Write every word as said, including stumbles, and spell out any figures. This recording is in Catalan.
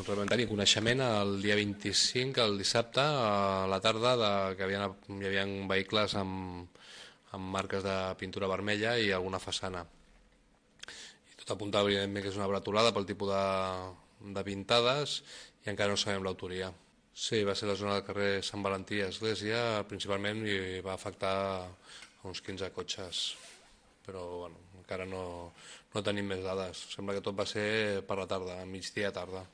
Doncs vam tenir coneixement el dia vint-i-cinc, el dissabte, a la tarda, de, que hi havia, hi havia vehicles amb, amb marques de pintura vermella i alguna façana. I tot apuntava, evidentment, que és una bretolada pel tipus de, de pintades i encara no sabem l'autoria. Sí, va ser la zona del carrer Sant Valentí i Església, principalment, i va afectar uns quinze cotxes. Però, bueno, encara no, no tenim més dades. Sembla que tot va ser per la tarda, a migdia tarda.